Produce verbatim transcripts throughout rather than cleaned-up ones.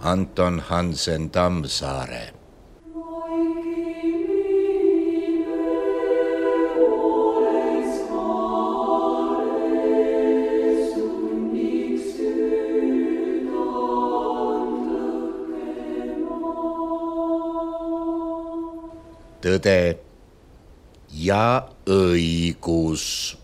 Anton Hansen Tammsaare. Tõde ja õigus.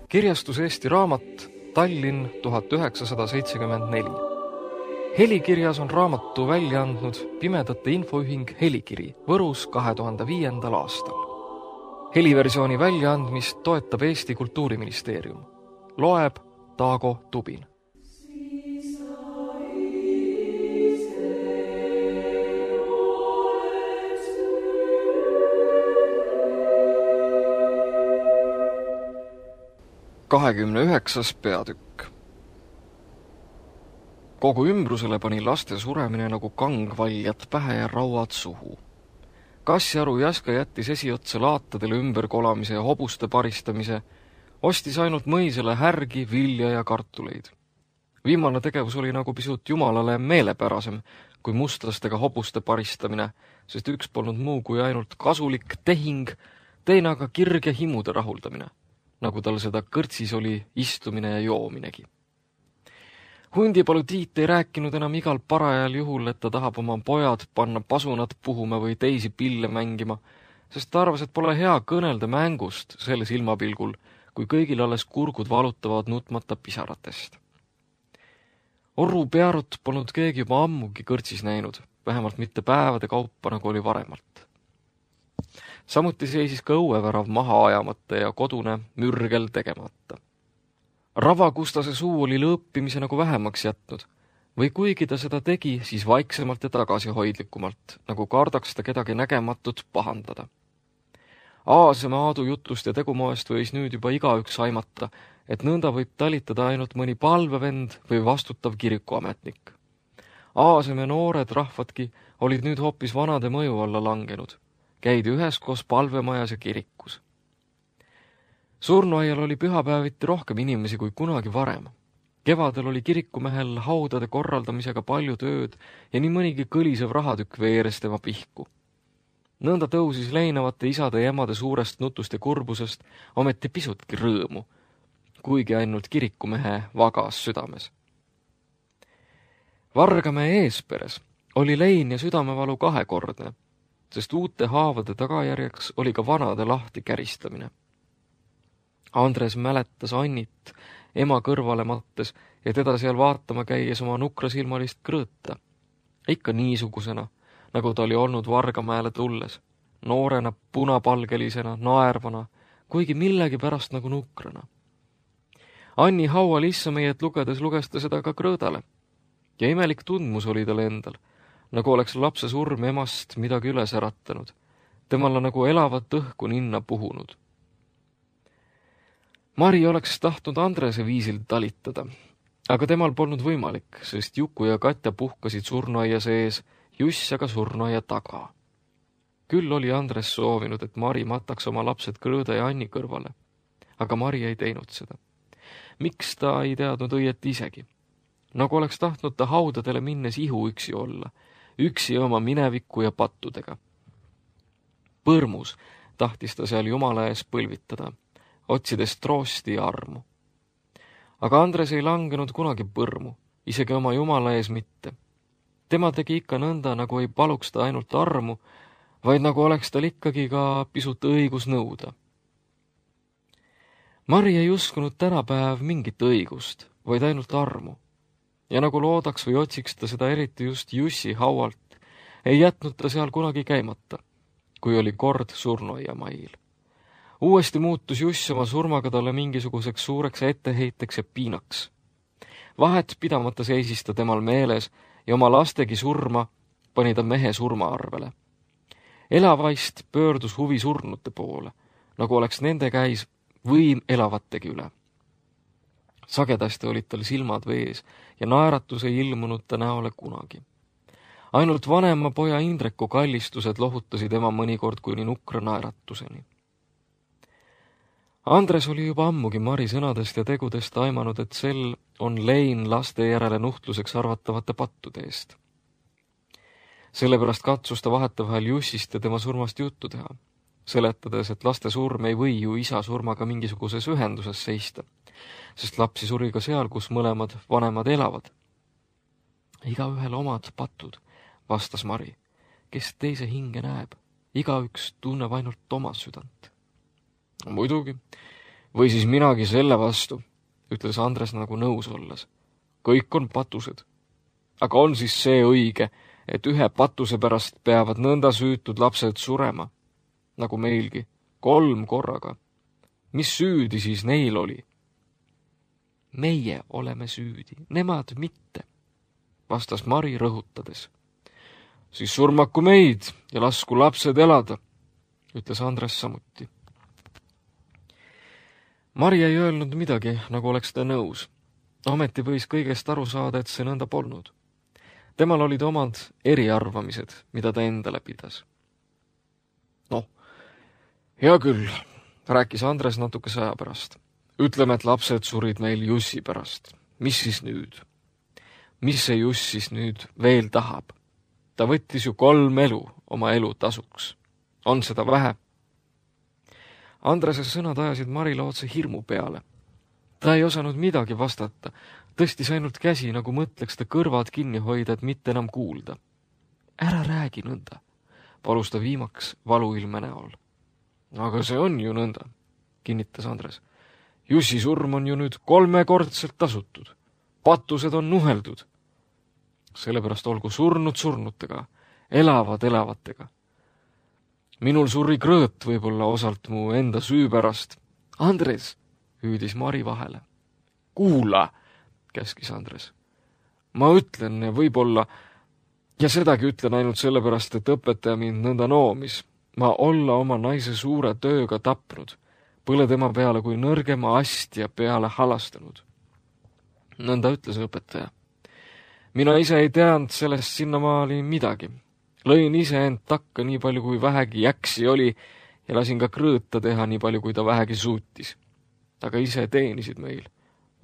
Kirjastus Eesti Raamat, Tallinn tuhat üheksasada seitsekümmend neli. Helikirjas on raamatu välja andnud Pimedate Infoühing Helikiri Võrus kahe tuhande viiendal aastal. Heliversiooni väljaandmist toetab Eesti Kultuuriministeerium. Loeb Taago Tubin. kahekümne üheksas peatükk. Kogu ümbrusele pani laste suremine nagu kangvaljad pähe ja rauad suhu. Kassjaru Jaska jättis esiotsa laatadele ümberkolamise ja hobuste paristamise, ostis ainult mõisele härgi, vilja ja kartuleid. Viimane tegevus oli nagu pisut jumalale meelepärasem kui mustlastega hobuste paristamine, sest üks polnud muu kui ainult kasulik tehing, teine aga kirg ja himude rahuldamine, nagu tal seda kõrtsis oli istumine ja joominegi. Hundipalu Tiit ei rääkinud enam igal parajal juhul, et ta tahab oma pojad panna pasunat puhuma või teisi pille mängima, sest ta arvas, et pole hea kõnelda mängust selle silmapilgul, kui kõigil alles kurgud valutavad nutmata pisaratest. Orru Pearut polnud keegi juba ammugi kõrtsis näinud, vähemalt mitte päevade kaupa, nagu oli varemalt. Samuti seisis ka õuevärav maha ajamata ja kodune mürgel tegemata. Ravakustase suu oli lõõppimise nagu vähemaks jätnud, või kuigi ta seda tegi, siis vaiksemalt ja tagasihoidlikumalt, nagu kardaks ta kedagi nägematut pahandada. Aasema Aadu jutust ja tegumoest võis nüüd juba igaüks aimata, et nõnda võib talitada ainult mõni palvevend või vastutav kirikuametnik. Aasem ja noored rahvadki olid nüüd hoopis vanade mõju alla langenud. Käidi üheskoos palvemajas ja kirikus. Surnuaial oli pühapäeviti rohkem inimesi kui kunagi varem. Kevadel oli kirikumehel haudade korraldamisega palju tööd ja nii mõnigi kõlisev rahatükk veeres tema pihku. Nõnda tõusis leinavate isade ja emade suurest nutust ja kurbusest ometi pisutki rõõmu, kuigi ainult kirikumehe vagas südames. Vargamäe eesperes oli lein ja südamevalu kahekordne, sest uute haavade tagajärjeks oli ka vanade lahti käristamine. Andres mäletas Annit ema kõrvale mattes ja teda seal vaatama käies oma nukrasilmalist krõõta. Ikka niisugusena, nagu ta oli olnud Vargamäele tulles, noorena, punapalgelisena, naervana, kuigi millegi pärast nagu nukrana. Anni haua lissameiet lugedes luges ta seda ka krõõdale ja imelik tundmus oli tal endal, nagu oleks lapse surm emast midagi üles äratanud, temale nagu elavat õhku ninna puhunud. Mari oleks tahtnud Andrese viisil talitada, aga temal polnud võimalik, sest Juku ja Katja puhkasid surnuaia sees, Juss aga surnuaia taga. Küll oli Andres soovinud, et Mari mataks oma lapsed Krõõda ja Anni kõrvale, aga Mari ei teinud seda. Miks ta ei teadnud õieti isegi? Nagu oleks tahtnud ta haudadele minnes ihu üksi olla, üksi oma mineviku ja pattudega. Põrmus tahtis ta seal Jumala ees põlvitada, otsides troosti ja armu. Aga Andres ei langenud kunagi põrmu, isegi oma Jumala ees mitte. Tema tegi ikka nõnda, nagu ei paluks ta ainult armu, vaid nagu oleks tal ikkagi ka pisut õigus nõuda. Mari ei uskunud tänapäev mingit õigust, vaid ainult armu. Ja nagu loodaks või otsiks ta seda eriti just Jussi haualt, ei jätnud ta seal kunagi käimata, kui oli kord surnuaia mail. Uuesti muutus Juss oma surmaga talle mingisuguseks suureks etteheiteks ja piinaks. Vahet pidamata seisis ta temal meeles ja oma lastegi surma pani ta mehe surma arvele. Elavaist pöördus huvi surnute poole, nagu oleks nende käis võim elavategi üle. Sagedasti olid tal silmad vees ja naeratus ei ilmunud ta näole kunagi. Ainult vanema poja Indreku kallistused lohutasid ema mõnikord kuni nukra naeratuseni. Andres oli juba ammugi Mari sõnadest ja tegudest aimanud, et sel on lein laste järele nuhtluseks arvatavate pattude eest. Sellepärast katsus ta vahetevahel Jussist ja tema surmast juttu teha, seletades, et laste surm ei või ju isa surmaga mingisuguses ühenduses seista, sest lapsi suri ka seal, kus mõlemad vanemad elavad. Igaühel omad patud, vastas Mari, kes teise hinge näeb, igaüks tunneb ainult oma südant. Muidugi, või siis minagi selle vastu, ütles Andres nagu nõus olles. Kõik on patused. Aga on siis see õige, et ühe patuse pärast peavad nõnda süütud lapsed surema, nagu meilgi, kolm korraga. Mis süüdi siis neil oli? Meie oleme süüdi, nemad mitte, vastas Mari rõhutades. Siis surmaku meid ja lasku lapsed elada, ütles Andres samuti. Mari ei öelnud midagi, nagu oleks ta nõus. Ometi võis kõigest aru saada, et see nõnda polnud. Temal olid omad eriarvamised, mida ta endale pidas. Noh, hea küll, rääkis Andres natukese aja pärast. Ütleme, et lapsed surid meil Jussi pärast. Mis siis nüüd? Mis see Juss siis nüüd veel tahab? Ta võttis ju kolm elu oma elu tasuks. On seda vähe? Andrese sõnad ajasid Marile otse hirmu peale. Ta ei osanud midagi vastata, tõstis ainult käsi, nagu mõtleks ta kõrvad kinni hoida, et mitte enam kuulda. Ära räägi nõnda, palus ta viimaks valuilme näol. Aga see on ju nõnda, kinnitas Andres. Jussi surm on ju nüüd kolmekordselt tasutud. Patused on nuheldud. Sellepärast olgu surnud surnutega, elavad elavatega. Minul suri krõõt võib-olla osalt mu enda süü pärast. Andres, hüüdis Mari vahele. Kuula, käskis Andres. Ma ütlen ja võib-olla, ja sedagi ütlen ainult sellepärast, et õpetaja mind nõnda noomis. Ma olla oma naise suure tööga tapnud, põle tema peale kui nõrgema astja peale halastanud. Nõnda ütles õpetaja. Mina ise ei teadnud sellest sinnamaali midagi. Lõin ise end takka nii palju, kui vähegi jäksi oli ja lasin ka krõõta teha nii palju, kui ta vähegi suutis. Aga ise teenisid meil.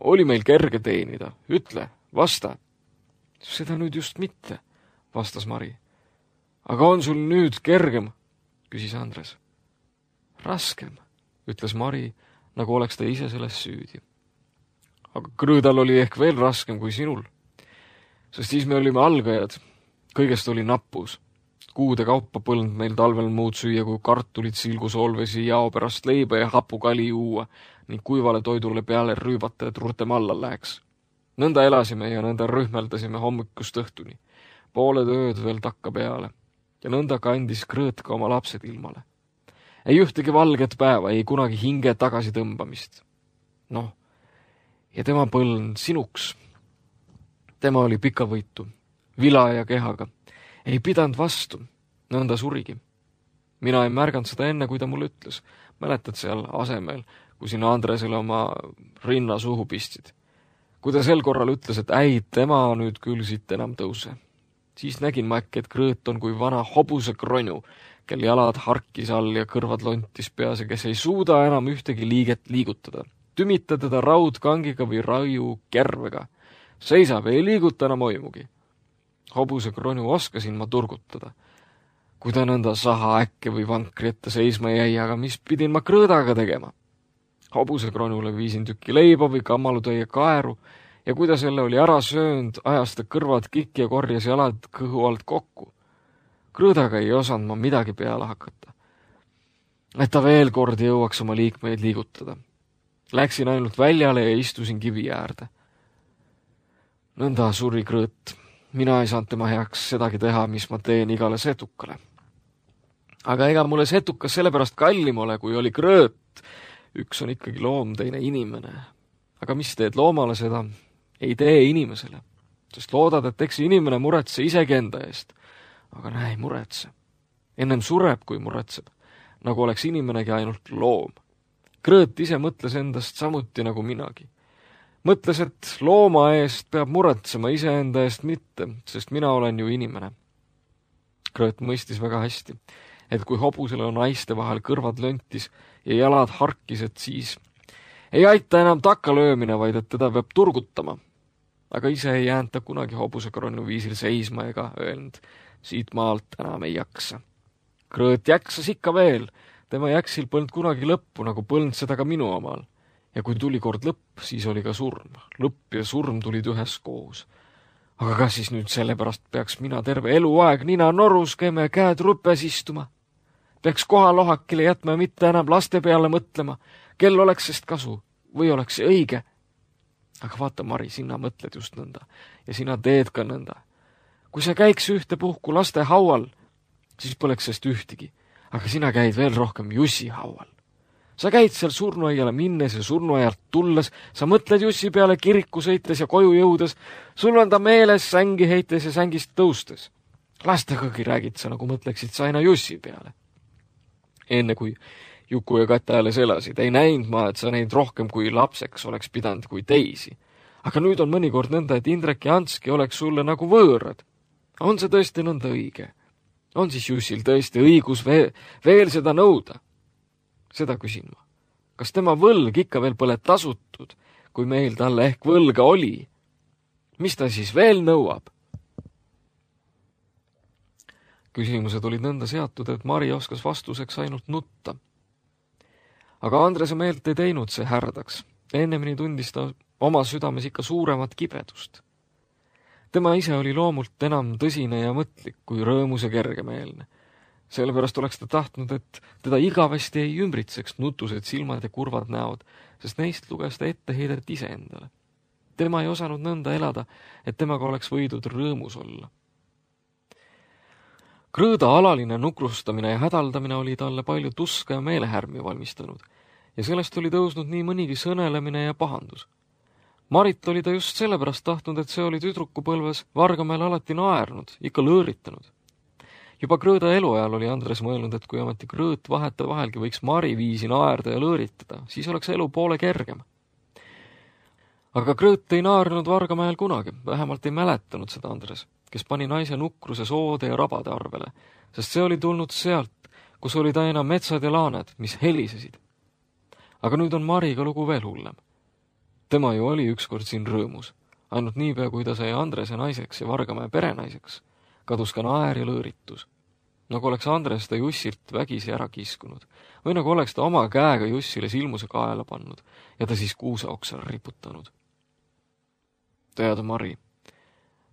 Oli meil kerge teenida. Ütle, vasta. Seda nüüd just mitte, vastas Mari. Aga on sul nüüd kergem, küsis Andres. Raskem, ütles Mari, nagu oleks ta ise selles süüdi. Aga krõõdal oli ehk veel raskem kui sinul. Sest siis me olime algajad. Kõigest oli nappus. Kuude kaupa põlnud meil talvel muud süüa, kui kartulit, silgusoolvesi, jao pärast leiba ja hapukali juua ning kuivale toidule peale rüübata, et rutem alla läheks. Nõnda elasime ja nõnda rühmeldasime hommikust õhtuni. Pooled ööd veel takka peale. Ja nõnda kandis krõõt ka oma lapsed ilmale. Ei ühtegi valget päeva, ei kunagi hinge tagasi tõmbamist. Noh, ja tema põln sinuks. Tema oli pikavõitu, vila ja kehaga. Ei pidanud vastu, nõnda surigi. Mina ei märganud seda enne, kui ta mulle ütles. Mäletad seal asemel, kui sina Andresele oma rinna suhu pistsid. Kui ta sel korral ütles, et äi, tema nüüd küll siit enam tõuse. Siis nägin ma äkki, et krõõt on kui vana hobuse kronju, kel jalad harkis all ja kõrvad lontis peas ja kes ei suuda enam ühtegi liiget liigutada. Tümita teda raudkangiga või raiu kervega. Seisab, ei liiguta enam oimugi. Hobuse kronju oskasin ma turgutada. Kui ta nõnda saha äkke või vankri ette seisma jäi, aga mis pidin ma krõõdaga tegema? Hobuse kronjule viisin tükki leiba või kammalutäie kaeru ja kui ta selle oli ära söönud, ajas ta kõrvad kikki ja korjas jalad kõhu alt kokku. Krõõdaga ei osanud ma midagi peale hakata. Et ta veel kord jõuaks oma liikmeid liigutada. Läksin ainult väljale ja istusin kivi äärde. Nõnda suri krõõt. Mina ei saanud tema heaks sedagi teha, mis ma teen igale setukale. Aga ega mulle setukas sellepärast kallim ole, kui oli krõõt. Üks on ikkagi loom, teine inimene. Aga mis teed loomale seda? Ei tee inimesele. Sest loodad, et eks inimene muretse isegi enda eest. Aga näe, ei muretse. Ennem sureb, kui muretseb. Nagu oleks inimenegi ainult loom. Krõõt ise mõtles endast samuti nagu minagi. Mõtles, et looma eest peab muretsema, iseenda eest mitte, sest mina olen ju inimene. Krõõt mõistis väga hästi, et kui hobusele on naiste vahel kõrvad löntis ja jalad harkised, siis ei aita enam takalöömine, vaid et teda peab turgutama. Aga ise ei jäänud ta kunagi hobusekronu viisil seisma ega öelnud, siit maalt enam ei jaksa. Krõõt jaksas ikka veel, tema jaksil polnud kunagi lõppu, nagu polnud seda ka minu omal. Ja kui tuli kord lõpp, siis oli ka surm. Lõpp ja surm tulid ühes koos. Aga kas siis nüüd sellepärast peaks mina terve eluaeg nina norus käima ja käed rüpes istuma? Peaks kohalohakile jätma ja mitte enam laste peale mõtlema, kel oleks sest kasu või oleks see õige? Aga vaata, Mari, sina mõtled just nõnda ja sina teed ka nõnda. Kui sa käiks ühte puhku laste haual, siis poleks sest ühtegi, aga sina käid veel rohkem Jussi haual. Sa käid seal surnuaiale minnes ja surnuaialt tulles, sa mõtled Jussi peale kiriku sõites ja koju jõudes, sul on ta meeles sängi heites ja sängist tõustes. Lastegagi räägid sa, nagu mõtleksid sa aina Jussi peale. Enne kui Juku ja Kata alles elasid, ei näinud ma, et sa neid rohkem kui lapseks oleks pidanud kui teisi. Aga nüüd on mõnikord nõnda, et Indrek ja Anski oleks sulle nagu võõrad. On see tõesti nõnda õige? On siis Jussil tõesti õigus veel, veel seda nõuda? Seda küsin ma. Kas tema võlg ikka veel pole tasutud, kui meil talle ehk võlga oli? Mis ta siis veel nõuab? Küsimused olid nõnda seatud, et Mari oskas vastuseks ainult nutta. Aga Andrese meelt ei teinud see härdaks. Ennemini tundis ta oma südames ikka suuremat kibedust. Tema ise oli loomult enam tõsine ja mõtlik kui rõõmus ja kergemeelne. Sellepärast oleks ta tahtnud, et teda igavesti ei ümbritseks nutused silmad ja kurvad näod, sest neist luges ta etteheidet ise endale. Tema ei osanud nõnda elada, et temaga oleks võidud rõõmus olla. Krõõda alaline nukrustamine ja hädaldamine oli talle palju tuska ja meelehärmi valmistanud ja sellest oli tõusnud nii mõnigi sõnelemine ja pahandus. Marit oli ta just sellepärast tahtnud, et see oli tüdrukupõlves Vargamäel alati naernud, ikka lõõritanud. Juba Krõõda eluajal oli Andres mõelnud, et kui ometi Krõõt vaheta vahelgi võiks Mari viisi naerda ja lõõritada, siis oleks elu poole kergem. Aga Krõõt ei naernud Vargamäel kunagi, vähemalt ei mäletanud seda Andres, kes pani naise nukruse soode ja rabade arvele, sest see oli tulnud sealt, kus olid aina metsad ja laaned, mis helisesid. Aga nüüd on Mariga lugu veel hullem. Tema ju oli ükskord siin rõõmus, ainult niipea, kui ta sai Andrese naiseks ja Vargamäe perenaiseks, kadus ka naer ja lõõritus. Nagu oleks Andres ta Jussilt vägisi ära kiskunud või nagu oleks ta oma käega Jussile silmuse kaela pannud ja ta siis kuusa oksale riputanud. Tead, Mari,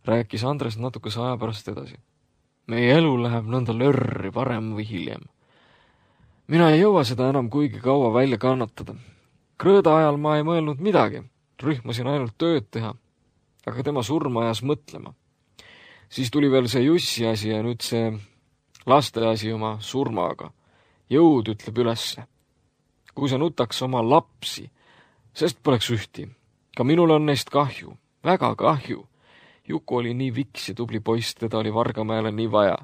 rääkis Andres natukese aja pärast edasi. Meie elu läheb nõnda lörri varem või hiljem. Mina ei jõua seda enam kuigi kaua välja kannatada. Krõõda ajal ma ei mõelnud midagi, rühmasin ainult tööd teha, aga tema surma ajas mõtlema. Siis tuli veel see Jussi asi ja nüüd see laste asi oma surmaga. Jõud ütleb ülesse. Kui sa nutaks oma lapsi, sest poleks ühti. Ka minul on neist kahju, väga kahju. Juku oli nii viks ja tubli poiss, teda oli Vargamäele nii vaja.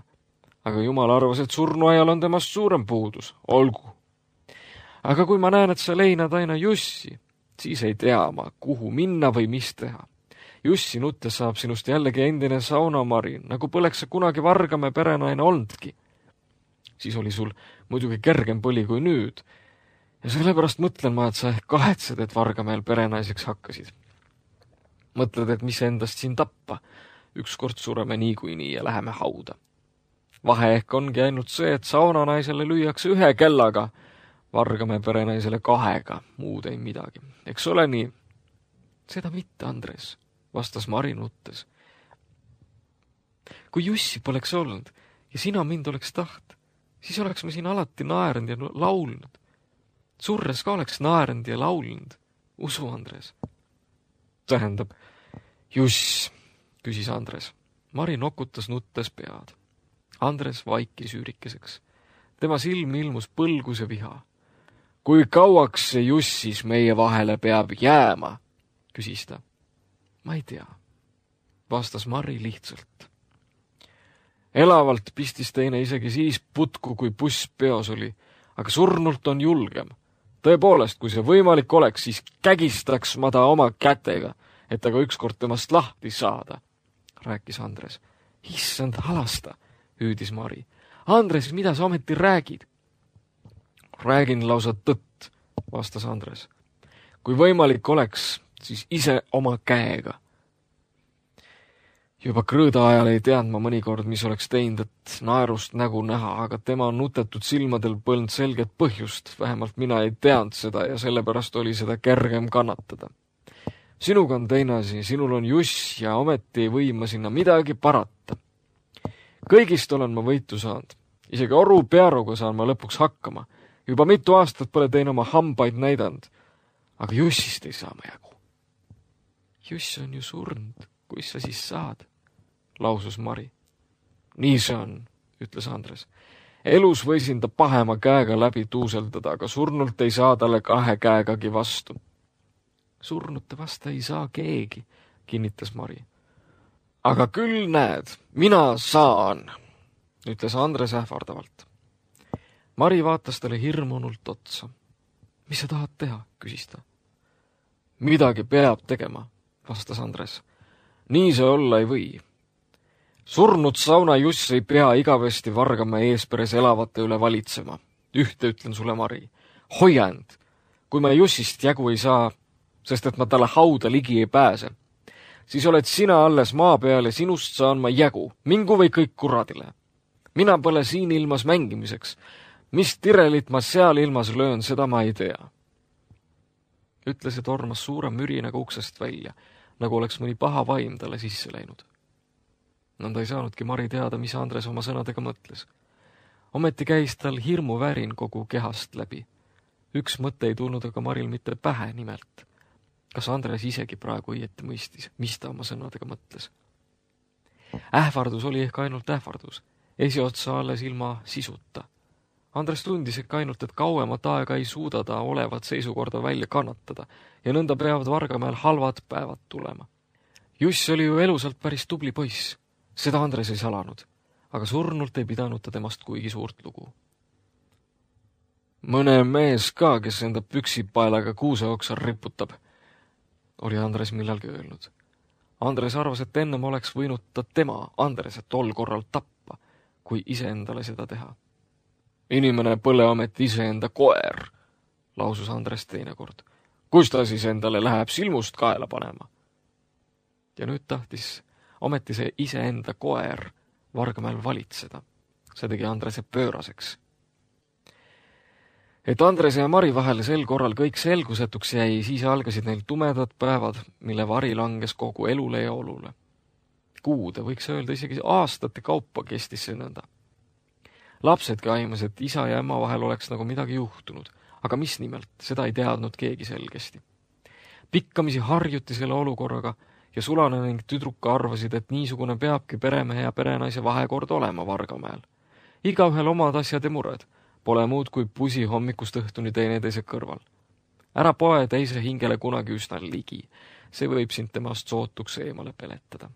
Aga jumal arvas, et surnuajal on temast suurem puudus. Olgu. Aga kui ma näen, et sa leinad aina Jussi, siis ei tea ma, kuhu minna või mis teha. Jussi nuttes saab sinust jällegi endine saunamari, nagu poleks sa kunagi Vargamäe perenaine olnudki. Siis oli sul muidugi kergem põli kui nüüd. Ja sellepärast mõtlen ma, et sa ehk kahetsed, et Vargamäel perenaiseks hakkasid. Mõtled, et mis endast siin tappa. Ükskord sureme niikuinii ja läheme hauda. Vahe ehk ongi ainult see, et saunanaisele lüüakse ühe kellaga, Vargamäe perenaisele kahega, muud ei midagi. Eks ole nii? Seda mitte, Andres, vastas Mari nuttes. Kui Jussi poleks olnud ja sina mind oleks taht, siis oleks me siin alati naernud ja laulnud. Surres ka oleks naernud ja laulnud. Usu, Andres. Tähendab, Juss, küsis Andres. Mari nokutas nuttes pead. Andres vaikis üürikeseks. Tema silm ilmus põlgus ja viha. Kui kauaks see Jussis meie vahele peab jääma, küsis ta. Ma ei tea, vastas Mari lihtsalt. Elavalt pistis teine isegi siis putku, kui buss peos oli, aga surnult on julgem. Tõepoolest, kui see võimalik oleks, siis kägistaks ma ta oma kätega, et aga ükskord temast lahti saada, rääkis Andres. Issand halasta, hüüdis Mari. Andres, mida sa ometi räägid? Räägin lausa tõtt, vastas Andres. Kui võimalik oleks, siis ise oma käega. Juba krõõda ajal ei teadnud ma mõnikord, mis oleks teinud, et naerust nägu näha, aga tema nutetud silmadel polnud selget põhjust, vähemalt mina ei teadnud seda ja sellepärast oli seda kergem kannatada. Sinuga on teine asi, sinul on Juss ja ometi ei või ma sinna midagi parata. Kõigist olen ma võitu saanud. Isegi oru pearuga saan ma lõpuks hakkama. Juba mitu aastat pole teine oma hambaid näidanud. Aga Jussist ei saa ma jagu. Juss on ju surnud, kuis sa siis saad, lausus Mari. Nii see on, ütles Andres. Elus võisin ta pahema käega läbi tuuseldada, aga surnult ei saa talle kahe käegagi vastu. Surnute vasta ei saa keegi, kinnitas Mari. Aga küll näed, mina saan, ütles Andres ähvardavalt. Mari vaatas talle hirmunult otsa. Mis sa tahad teha, küsis ta. Midagi peab tegema, vastas Andres. Nii see olla ei või. Surnud sauna Juss ei pea igavesti vargama eesperes elavate üle valitsema. Ühte ütlen sulle, Mari. Hoia end, kui ma Jussist jagu ei saa, sest et ma talle hauda ligi ei pääse, siis oled sina alles maa peal ja sinust saan ma jagu, mingu või kõik kuradile. Mina pole siin ilmas mängimiseks. Mis tirelit ma seal ilmas löön, seda ma ei tea. Ütles ja tormas suure mürinaga uksest välja, nagu oleks mõni paha vaim talle sisse läinud. Nõnda ei saanudki Mari teada, mis Andres oma sõnadega mõtles. Ometi käis tal hirmu värin kogu kehast läbi. Üks mõte ei tulnud aga Maril mitte pähe nimelt. Kas Andres isegi praegu õieti mõistis, mis ta oma sõnadega mõtles? Ähvardus oli ehk ainult ähvardus, esiotsa alles ilma sisuta. Andres tundis ehk ainult, et kauemat aega ei suuda ta olevat seisukorda välja kannatada ja nõnda peavad Vargamäel halvad päevad tulema. Juss oli ju elusalt päris tubli poiss, seda Andres ei salanud, aga surnult ei pidanud ta temast kuigi suurt lugu. Mõne mees ka, kes enda püksipaelaga kuuseoksa riputab, oli Andres millalgi öelnud. Andres arvas, et ennem oleks võinud ta tema, Andres, tol korral tappa, kui iseendale seda teha. Inimene pole ometi iseenda koer, lausus Andres teinekord. Kus ta siis endale läheb silmust kaela panema? Ja nüüd tahtis ometi see iseenda koer Vargamäel valitseda. See tegi Andrese pööraseks. Et Andrese ja Mari vahel sel korral kõik selgusetuks jäi, siis algasid neil tumedad päevad, mille vari langes kogu elule ja olule. Kuude, võiks öelda isegi aastate kaupa kestis see nõnda. Lapsedki aimas, et isa ja ema vahel oleks nagu midagi juhtunud, aga mis nimelt, seda ei teadnud keegi selgesti. Pikkamisi harjuti selle olukorraga ja Sulane ning tüdruka arvasid, et niisugune peabki peremehe ja perenaise vahekord olema Vargamäel. Igaühel omad asjad ja mured, pole muud kui pusi hommikust õhtuni teineteise kõrval. Ära poe teise hingele kunagi üsna ligi, see võib sind temast sootuks eemale peletada.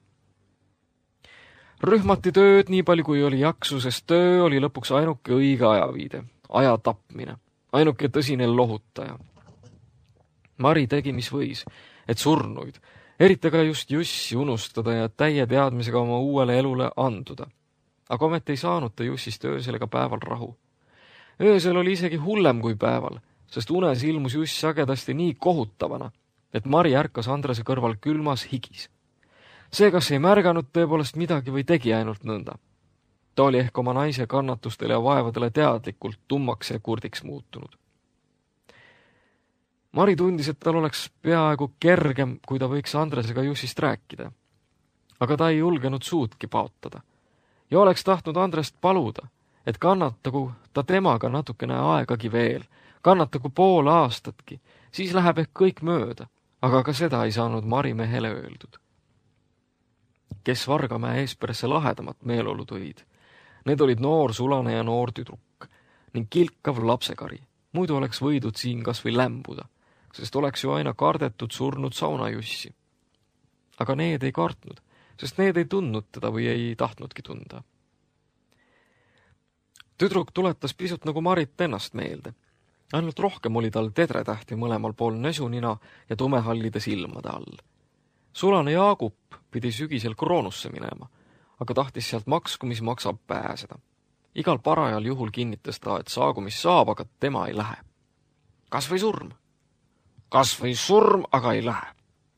Rühmati tööd nii palju kui oli jaksu, sest töö oli lõpuks ainuke õige ajaviide, aja tapmine, ainuke tõsine lohutaja. Mari tegi, mis võis, et surnuid, eriti ka just Jussi unustada ja täie teadmisega oma uuele elule anduda. Aga ometi ei saanud ta Jussist öösel ega päeval rahu. Öösel oli isegi hullem kui päeval, sest unes ilmus Juss sagedasti nii kohutavana, et Mari ärkas Andrese kõrval külmas higis. See, kas ei märganud tõepoolest midagi või tegi ainult nõnda. Ta oli ehk oma naise kannatustele ja vaevadele teadlikult tummaks ja kurdiks muutunud. Mari tundis, et tal oleks peaaegu kergem, kui ta võiks Andresega Jussist rääkida. Aga ta ei julgenud suudki paotada. Ja oleks tahtnud Andrest paluda, et kannatagu ta temaga natukene aegagi veel, kannatagu pool aastatki, siis läheb ehk kõik mööda, aga ka seda ei saanud Mari mehele öeldud. Kes Vargamäe eesperesse lahedamat meeleolu tõid. Need olid noor Sulane ja noor tüdruk ning kilkav lapsekari. Muidu oleks võidud siin kas või lämbuda, sest oleks ju aina kardetud surnud saunajussi. Aga need ei kartnud, sest need ei tundnud teda või ei tahtnudki tunda. Tüdruk tuletas pisut nagu Marit ennast meelde. Ainult rohkem oli tal tedretähti mõlemal pool näsunina ja tumehallide silmade all. Sulane Jaagup pidi sügisel Kroonusse minema, aga tahtis sealt maksku, mis maksab pääseda. Igal parajal juhul kinnitas ta, et saagu mis saab, aga tema ei lähe. Kas või surm? Kas või surm, aga ei lähe,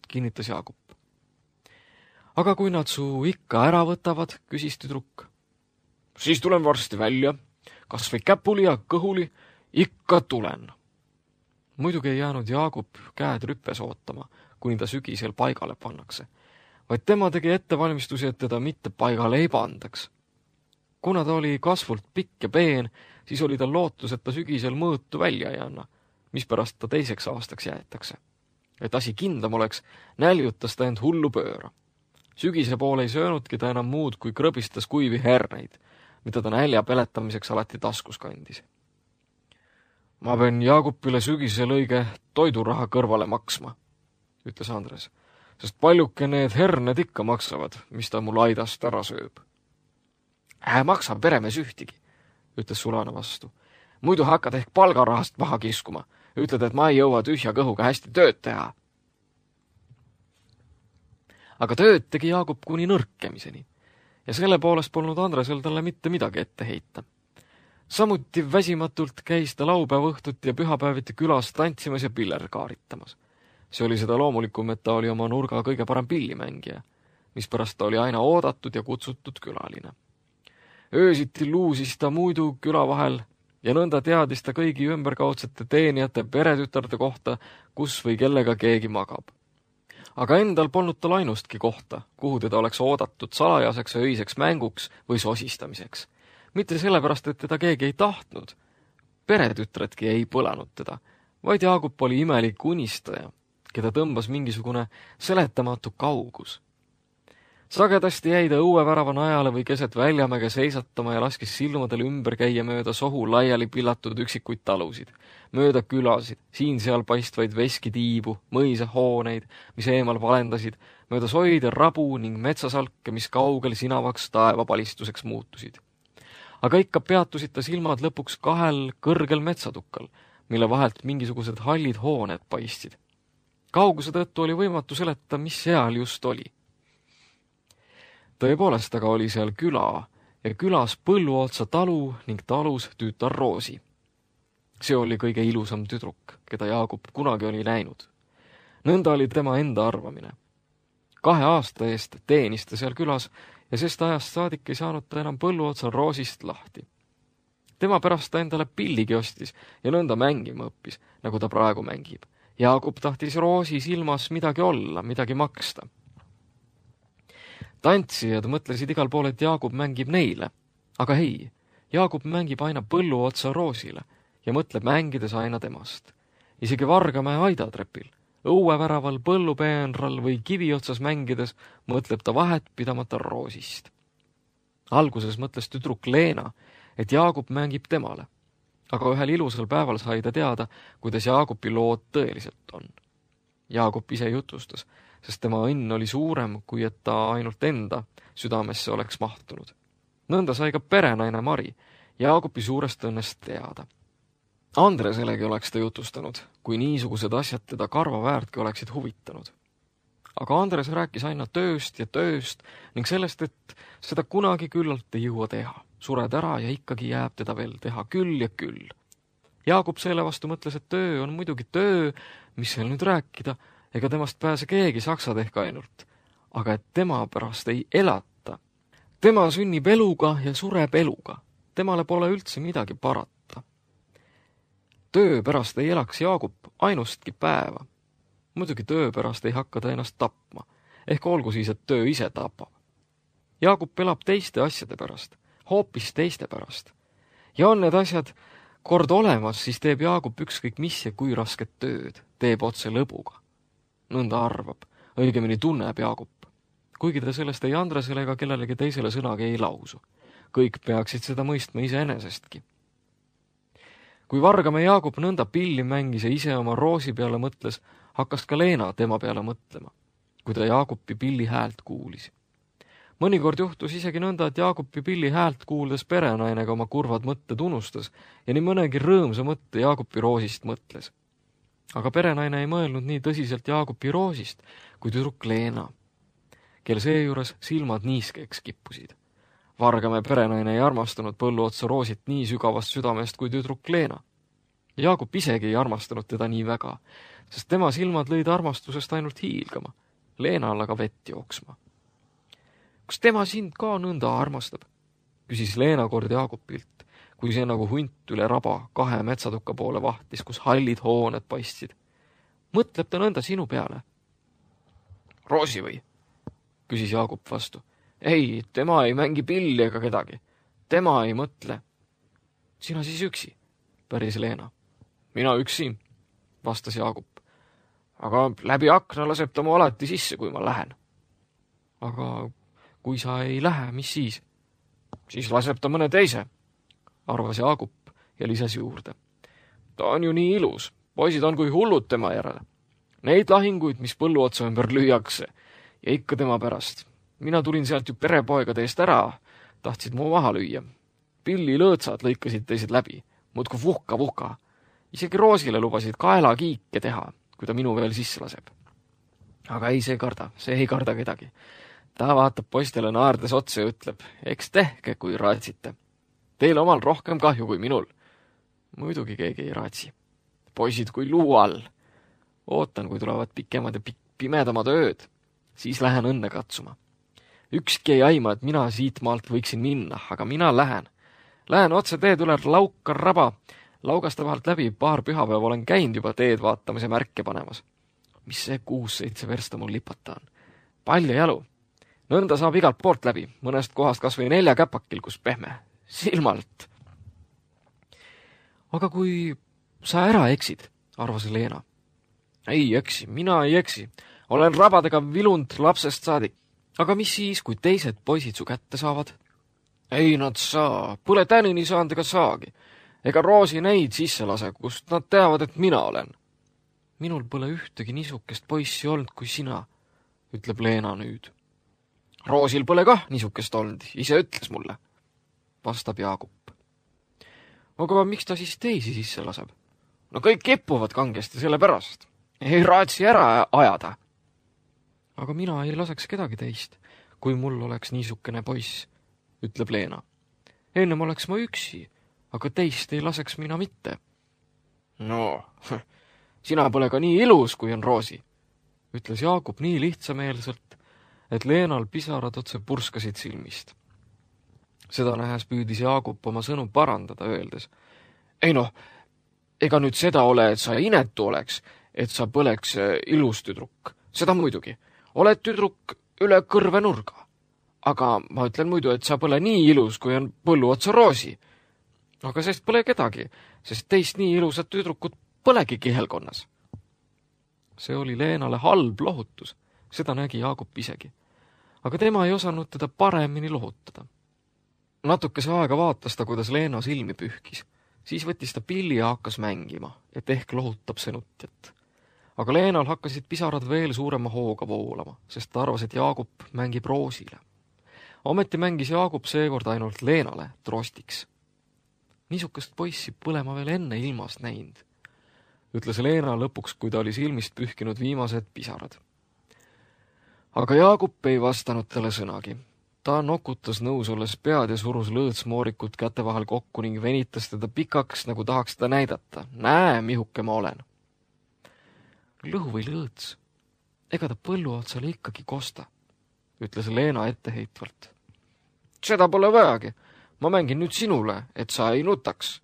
kinnitas Jaagup. Aga kui nad su ikka ära võtavad, küsis tüdruk. Siis tulen varsti välja, kas või käpuli ja kõhuli, ikka tulen. Muidugi ei jäänud Jaagup käed rüppes ootama, kuni ta sügisel paigale pannakse, vaid tema tegi ettevalmistusi, et teda mitte paigale ei pandaks. Kuna ta oli kasvult pikk ja peen, siis oli tal lootus, et ta sügisel mõõtu välja ei anna, mispärast ta teiseks aastaks jäetakse. Et asi kindlam oleks, näljutas ta end hullu pööra. Sügise poole ei söönudki ta enam muud, kui krõbistas kuivi herneid, mida ta nälja peletamiseks alati taskus kandis. Ma pean Jaagupile sügisel õige toiduraha kõrvale maksma, ütles Andres, sest paljuke need herned ikka maksavad, mis ta mul aidast ära sööb. Ää maksa peremees ühtigi, ütles Sulane vastu. Muidu hakkad ehk palgarahast maha kiskuma. Ütled, et ma ei jõua tühja kõhuga hästi tööd teha. Aga tööd tegi Jaagup kuni nõrkemiseni ja selle poolest polnud Andresel talle mitte midagi ette heita. Samuti väsimatult käis ta laupäeva õhtut ja pühapäeviti külas tantsimas ja piller kaaritamas. See oli seda loomulikum, et ta oli oma nurga kõige parem pillimängija, mispärast ta oli aina oodatud ja kutsutud külaline. Öösiti luusis ta muidu küla vahel ja nõnda teadis ta kõigi ümberkaudsete teenijate peretütarde kohta, kus või kellega keegi magab. Aga endal polnud tal ainustki kohta, kuhu teda oleks oodatud salajaseks ja öiseks mänguks või sosistamiseks. Mitte sellepärast, et teda keegi ei tahtnud. Peretütredki ei põlanud teda, vaid Jaagup oli imelik unistaja, keda tõmbas mingisugune seletamatu kaugus. Sagedasti jäi ta õuevärava najale või keset väljamäge seisatama ja laskis silmadel ümber käia mööda sohu laiali pillatud üksikuid talusid, mööda külasid, siin-seal paistvaid veskitiibu, mõisahooneid, mis eemal valendasid, mööda soid ja rabu ning metsasalke, mis kaugel sinavaks taevapalistuseks muutusid. Aga ikka peatusid ta silmad lõpuks kahel kõrgel metsatukkal, mille vahelt mingisugused hallid hooned paistsid. Kauguse tõttu oli võimatu seletada, mis seal just oli. Tõepoolest aga oli seal küla ja külas Põlluotsa talu ning talus tüütar Roosi. See oli kõige ilusam tüdruk, keda Jaagup kunagi oli näinud. Nõnda oli tema enda arvamine. Kahe aasta eest teenis ta seal külas ja sest ajast saadik ei saanud ta enam Põlluotsa Roosist lahti. Tema pärast ta endale pilligi ostis ja nõnda mängima õppis, nagu ta praegu mängib. Jaagup tahtis Roosi silmas midagi olla, midagi maksta. Tantsijad mõtlesid igal pool, et Jaagup mängib neile. Aga ei, Jaagup mängib aina Põlluotsa Roosile ja mõtleb mängides aina temast. Isegi Vargamäe aidatrepil, õueväraval, põllupeenral või kiviotsas mängides mõtleb ta vahet pidamata Roosist. Alguses mõtles tüdruk Leena, et Jaagup mängib temale. Aga ühel ilusal päeval sai ta teada, kuidas Jaagupi lood tõeliselt on. Jaagup ise jutustas, sest tema õnn oli suurem, kui et ta ainult enda südamesse oleks mahtunud. Nõnda sai ka perenaine Mari Jaagupi suurest õnnest teada. Andreselegi oleks ta jutustanud, kui niisugused asjad teda karva väärtki oleksid huvitanud. Aga Andres rääkis aina tööst ja tööst ning sellest, et seda kunagi küllalt ei jõua teha. Sured ära ja ikkagi jääb teda veel teha küll ja küll. Jaagup selle vastu mõtles, et töö on muidugi töö, mis seal nüüd rääkida, ega temast pääse keegi saksad ehk ainult, aga et tema pärast ei elata. Tema sünnib eluga ja sureb eluga. Temale pole üldse midagi parata. Töö pärast ei elaks Jaagup ainustki päeva. Muidugi töö pärast ei hakka ta ennast tapma, ehk olgu siis, et töö ise tapab. Jaagup elab teiste asjade pärast, hoopis teiste pärast. Ja on need asjad kord olemas, siis teeb Jaagup ükskõik mis ja kui rasket tööd, teeb otse lõbuga. Nõnda arvab, õigemini tunneb Jaagup, kuigi ta sellest ei Andresele ega kellelegi teisele sõnagi ei lausu. Kõik peaksid seda mõistma iseenesestki. Kui Vargamäe Jaagup nõnda pilli mängis ja ise oma Roosi peale mõtles, hakkas ka Leena tema peale mõtlema, kui ta Jaagupi pilli häält kuulis. Mõnikord juhtus isegi nõnda, et Jaagupi Pilli häält kuuldes perenainega oma kurvad mõtted unustas ja nii mõnegi rõõmsa mõtte Jaagupi Roosist mõtles. Aga perenaine ei mõelnud nii tõsiselt Jaagupi Roosist kui tüdruk Leena, kel seejuures silmad niiskeks kippusid. Vargamäe perenaine ei armastanud Põlluotsa Roosit nii sügavast südamest kui tüdruk Leena. Jaagup isegi ei armastanud teda nii väga, sest tema silmad lõid armastusest ainult hiilgama, Leenal aga vett jooksma. Kas tema sind ka nõnda armastab? Küsis Leena kord Jaagupilt, kui see nagu hunt üle raba kahe metsatuka poole vahtis, kus hallid hooned paistsid. Mõtleb ta nõnda sinu peale? Roosi või? Küsis Jaagup vastu. Ei, tema ei mängi pilli ega kedagi. Tema ei mõtle. Sina siis üksi, päris Leena. Mina üksi, vastas Jaagup. Aga läbi akna laseb ta mu alati sisse, kui ma lähen. Aga kui sa ei lähe, mis siis? Siis laseb ta mõne teise, arvas Jaagup ja lisas juurde. Ta on ju nii ilus, poisid on kui hullud tema järele. Neid lahinguid, mis Põlluotsa ümber lüüakse ja ikka tema pärast. Mina tulin sealt ju perepoegade eest ära, tahtsid mu maha lüüa. Pilli lõõtsad lõikasid teised läbi, muudku vuhka vuhka. Isegi Roosile lubasid kaela kiike teha, kui ta minu veel sisse laseb. Aga ei, see karda, see ei karda kedagi. Ta vaatab poistele naardes otsa ja ütleb, eks tehke, kui raatsite. Teil omal rohkem kahju kui minul. Muidugi keegi ei raatsi. Poisid kui luu all. Ootan, kui tulevad pikemad ja pimedamad ööd. Siis lähen õnne katsuma. Ükski ei aima, et mina siit maalt võiksin minna, aga mina lähen. Lähen otse teed üle Lauka raba. Laugasta vahelt läbi paar pühapäeva olen käinud juba teed vaatamise märke panemas. Mis see kuus-seitse versta mul lipata on? Palju jalu. Nõnda saab igalt poolt läbi, mõnest kohast kas või nelja käpakil, kus pehme. Silmalt. Aga kui sa ära eksid, arvas Leena. Ei eksi, mina ei eksi. Olen rabadega vilunud lapsest saadik. Aga mis siis, kui teised poisid su kätte saavad? Ei nad saa, pole tänini saanud ega saagi. Ega Roosi neid sisse lase, kust nad teavad, et mina olen. Minul pole ühtegi niisukest poissi olnud kui sina, ütleb Leena nüüd. Roosil pole kah niisukest olnud, ise ütles mulle, vastab Jaagup. Aga miks ta siis teisi sisse laseb? No kõik kippuvad kangesti selle pärast. Ei raatsi ära ajada. Aga mina ei laseks kedagi teist, kui mul oleks niisukene poiss, ütleb Leena. Ennem oleks ma üksi, aga teist ei laseks mina mitte. No, sina pole ka nii ilus, kui on Roosi, ütles Jaagup nii lihtsameelselt, et Leenal pisarad otse purskasid silmist. Seda nähes püüdis Jaagup oma sõnu parandada, öeldes. Ei noh, ega nüüd seda ole, et sa inetu oleks, et sa põleks ilus tüdruk. Seda muidugi. Oled tüdruk üle kõrve nurga. Aga ma ütlen muidu, et sa pole nii ilus, kui on Põlluotsa Roosi. Aga sest pole kedagi, sest teist nii ilusat tüdrukut polegi kihelkonnas. See oli Leenale halb lohutus, seda nägi Jaagup isegi. Aga tema ei osanud teda paremini lohutada. Natukese aega vaatas ta, kuidas Leena silmi pühkis. Siis võttis ta pilli ja hakkas mängima, et ehk lohutab senutjat. Aga Leenal hakkasid pisarad veel suurema hooga voolama, sest ta arvas, et Jaagup mängib Roosile. Ometi mängis Jaagup seekord ainult Leenale trostiks. Niisukest poissi pole ma veel enne ilmast näinud, ütles Leena lõpuks, kui ta oli silmist pühkinud viimased pisarad. Aga Jaagup ei vastanud talle sõnagi. Ta nokutas nõus olles pead ja surus lõõtsmoorikut käte vahel kokku ning venitas teda pikaks, nagu tahaks ta näidata. Näe, mihuke ma olen. Lõhu või lõõts, ega ta Põlluotsale ikkagi kosta, ütles Leena etteheitvalt. Seda pole vajagi, ma mängin nüüd sinule, et sa ei nutaks,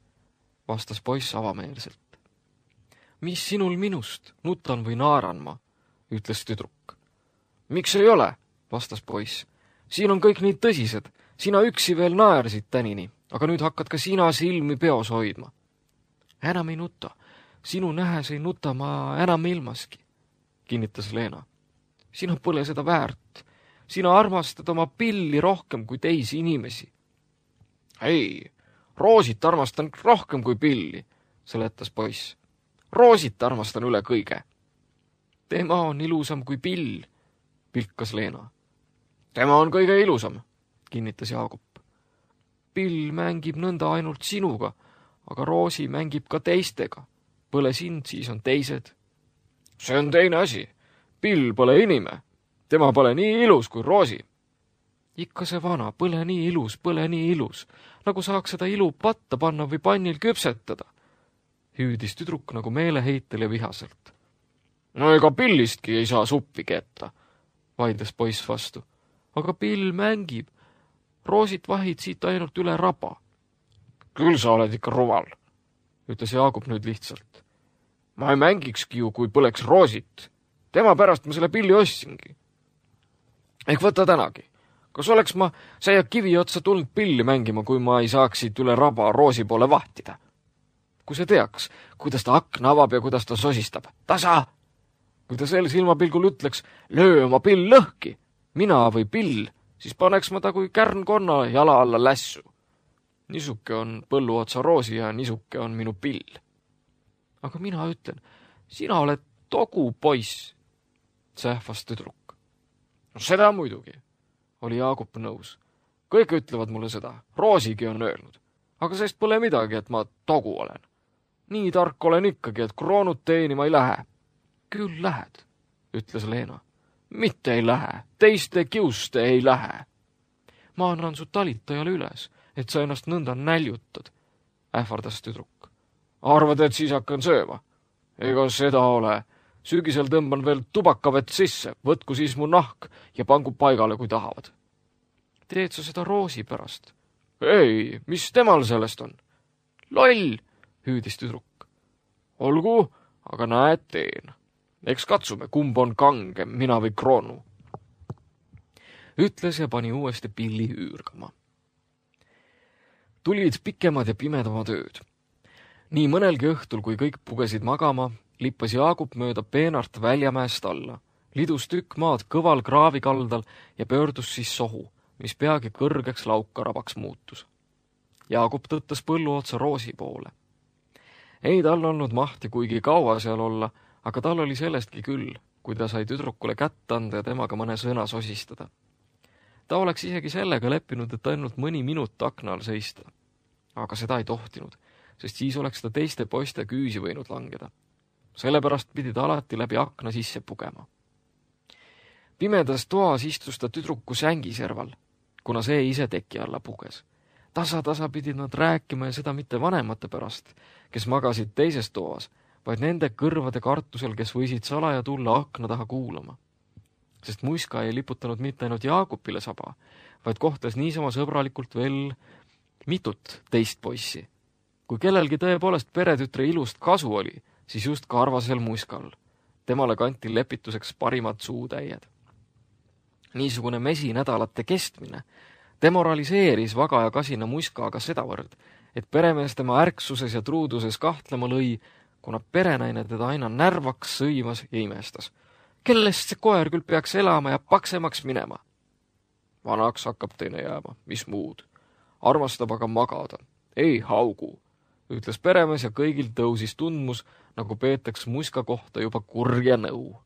vastas poiss avameelselt. Mis sinul minust, nutan või naaran ma, ütles tüdruk. Miks ei ole, vastas poiss. Siin on kõik nii tõsised, sina üksi veel naersid tänini, aga nüüd hakkad ka sina silmi peos hoidma. Enam ei nuta. Sinu nähes ei nuta ma enam ilmaski, kinnitas Leena. Sina pole seda väärt. Sina armastad oma pilli rohkem kui teisi inimesi. Ei, Roosit armastan rohkem kui pilli, seletas poiss. Roosit armastan üle kõige. Tema on ilusam kui pill, pilkas Leena. Tema on kõige ilusam, kinnitas Jaagup. Pill mängib nõnda ainult sinuga, aga Roosi mängib ka teistega. Põle sind, siis on teised. See on teine asi. Pill pole inime. Tema pole nii ilus kui Roosi. Ikka see vana, põle nii ilus, põle nii ilus, nagu saaks seda ilu patta panna või pannil küpsetada. Hüüdis tüdruk nagu meeleheitel ja vihaselt. No ega Pillistki ei saa suppi ketta, vaidles poiss vastu. Aga Pill mängib. Roosit vahid siit ainult üle raba. Küll sa oled ikka rumal, ütles Jaagup nüüd lihtsalt. Ma ei mängikski ju, kui põleks Roosit. Tema pärast ma selle Pilli ostsingi. Ehk võta tänagi. Kas oleks ma säia kivi otsa tulnud Pilli mängima, kui ma ei saaks siit üle raba Roosi poole vahtida? Kui see teaks, kuidas ta akna avab ja kuidas ta sosistab. Tasa! Kui ta sel silmapilgul ütleks, löö oma Pill lõhki, mina või Pill, siis paneks ma ta kui kärnkonna jala alla lässu. Nisuke on põlluotsa Roosi ja nisuke on minu Pill. Aga mina ütlen, sina oled togu poiss, sähvas tüdruk. No seda muidugi, oli Jaagup nõus. Kõik ütlevad mulle seda, Roosigi on öelnud. Aga sest pole midagi, et ma togu olen. Nii tark olen ikkagi, et kroonut teenima ei lähe. Küll lähed, ütles Leena. Mitte ei lähe, teiste kiuste ei lähe. Ma annan su talitajale üles, et sa ennast nõnda näljutad, ähvardas tüdruk. Arvad, et siis hakkan sööma? Ega seda ole. Sügisel tõmban veel tubakavett sisse, võtku siis mu nahk ja pangu paigale, kui tahavad. Teed sa seda Roosi pärast? Ei, mis temal sellest on? Loll, hüüdis tüdruk. Olgu, aga näed teen. Eks katsume, kumb on kangem, mina või kroonu. Ütles ja pani uuesti Pilli üürgama. Tulid pikemad ja pimedamad ööd. Nii mõnelgi õhtul, kui kõik pugesid magama, lippas Jaagup mööda peenart Väljamäest alla, lidus tükk maad kõval kraavikaldal ja pöördus siis sohu, mis peagi kõrgeks laukarabaks muutus. Jaagup tõttas põlluotsa Roosi poole. Ei tal olnud mahti kuigi kaua seal olla, aga tal oli sellestki küll, kui ta sai tüdrukule kätt anda ja temaga mõne sõna sosistada. Ta oleks isegi sellega leppinud, et ainult mõni minut akna all seista. Aga seda ei tohtinud, sest siis oleks ta teiste poiste küüsi võinud langeda. Sellepärast pidi ta alati läbi akna sisse pugema. Pimedas toas istus ta tüdruku sängi serval, kuna see ise teki alla puges. Tasa-tasa pidid nad rääkima ja seda mitte vanemate pärast, kes magasid teises toas, vaid nende kõrvade kartusel, kes võisid salaja tulla akna taha kuulama. Sest Muiska ei liputanud mitte ainult Jaagupile saba, vaid kohtas niisama sõbralikult veel mitut teist poissi. Kui kellelgi tõepoolest peretütre ilust kasu oli, siis just karvasel Muiskal. Temale kanti lepituseks parimad suutäied. Niisugune mesinädalate kestmine demoraliseeris vaga ja kasina Muiska aga sedavõrd, et peremees tema ärksuses ja truuduses kahtlema lõi, kuna perenaine teda aina närvaks sõimas ja imestas. Kellest see koer küll peaks elama ja paksemaks minema? Vanaks hakkab teine jääma, mis muud. Armastab aga magada. Ei haugu, ütles peremees ja kõigil tõusis tundmus, nagu peetaks Muiska kohta juba kurja nõu.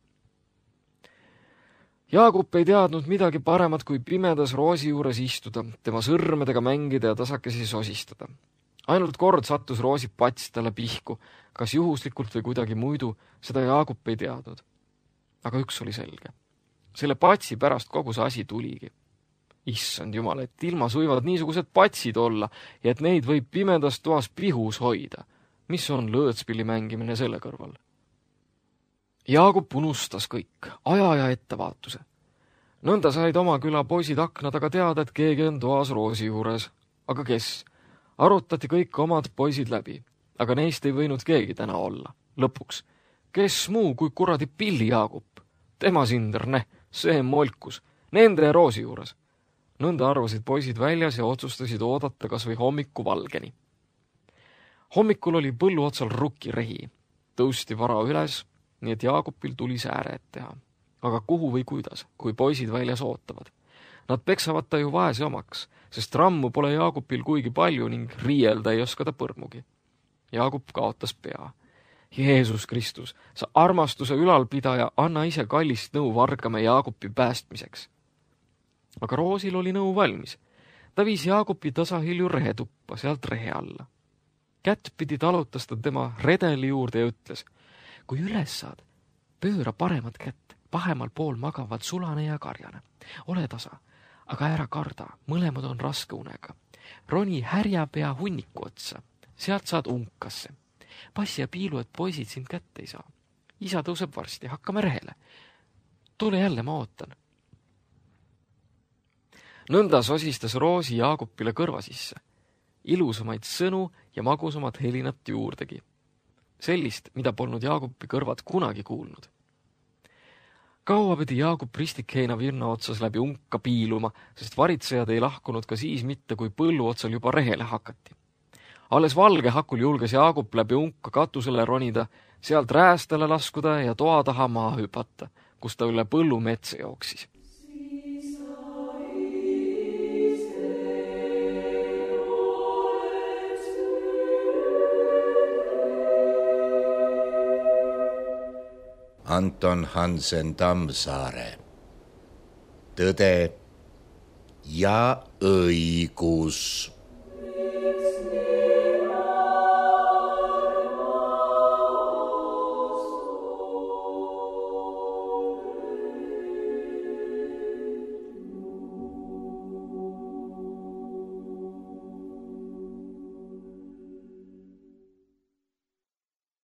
Jaagup ei teadnud midagi paremat kui pimedas Roosi juures istuda, tema sõrmedega mängida ja tasakesi sosistada. Ainult kord sattus Roosi pats talle pihku, kas juhuslikult või kuidagi muidu, seda Jaagup ei teadnud. Aga üks oli selge. Selle patsi pärast kogu see asi tuligi. Issand jumal, et ilmas võivad niisugused patsid olla ja et neid võib pimedas toas pihus hoida. Mis on lõõtspilli mängimine selle kõrval? Jaagup unustas kõik, aja ja ettevaatuse. Nõnda said oma küla poisid akna taga teada, et keegi on toas Roosi juures. Aga kes? Arutati kõik omad poisid läbi, aga neist ei võinud keegi täna olla. Lõpuks, kes muu kui kuradi Pilli Jaagup? Tema sinder, ne, see molkus, nende Roosi juures. Nõnda arvasid poisid väljas ja otsustasid oodata kas või hommiku valgeni. Hommikul oli põllu otsal rukirehi. Tõusti vara üles, nii et Jaagupil tuli sääre et teha. Aga kuhu või kuidas, kui poisid väljas ootavad? Nad peksavad ta ju vaese omaks, sest rammu pole Jaagupil kuigi palju ning riielda ei oska ta põrmugi. Jaagup kaotas pea. Jeesus Kristus, sa armastuse ülalpidaja, anna ise kallist nõu vargame Jaagupi päästmiseks. aga Roosil oli nõu valmis. Ta viis Jaagupi tasahilju rehetuppa, sealt rehe alla. Kättpidi talutas ta tema redeli juurde ja ütles, kui üles saad, pööra paremat kätt, pahemal pool magavad Sulane ja Karjane. Ole tasa, aga ära karda, mõlemad on raske unega. Roni härjapea hunniku otsa, sealt saad unkasse. Passi ja piilu, et poisid sind kätte ei saa. Isa tõuseb varsti, hakkame rehele. Tule jälle, ma ootan. Nõnda sosistas Roosi Jaagupile kõrva sisse. Ilusamaid sõnu ja magusamat helinat juurdegi. Sellist, mida polnud Jaagupi kõrvad kunagi kuulnud. Kaua pidi Jaagup ristikheina virna otsas läbi unka piiluma, sest varitsejad ei lahkunud ka siis mitte, kui põllu otsal juba rehele hakati. Alles valge hakul julges Jaagup läbi unka katusele ronida, sealt räästele laskuda ja toa taha maa hüpata, kus ta üle põllu metsa jooksis. Anton Hansen Tammsaare. Tõde ja õigus.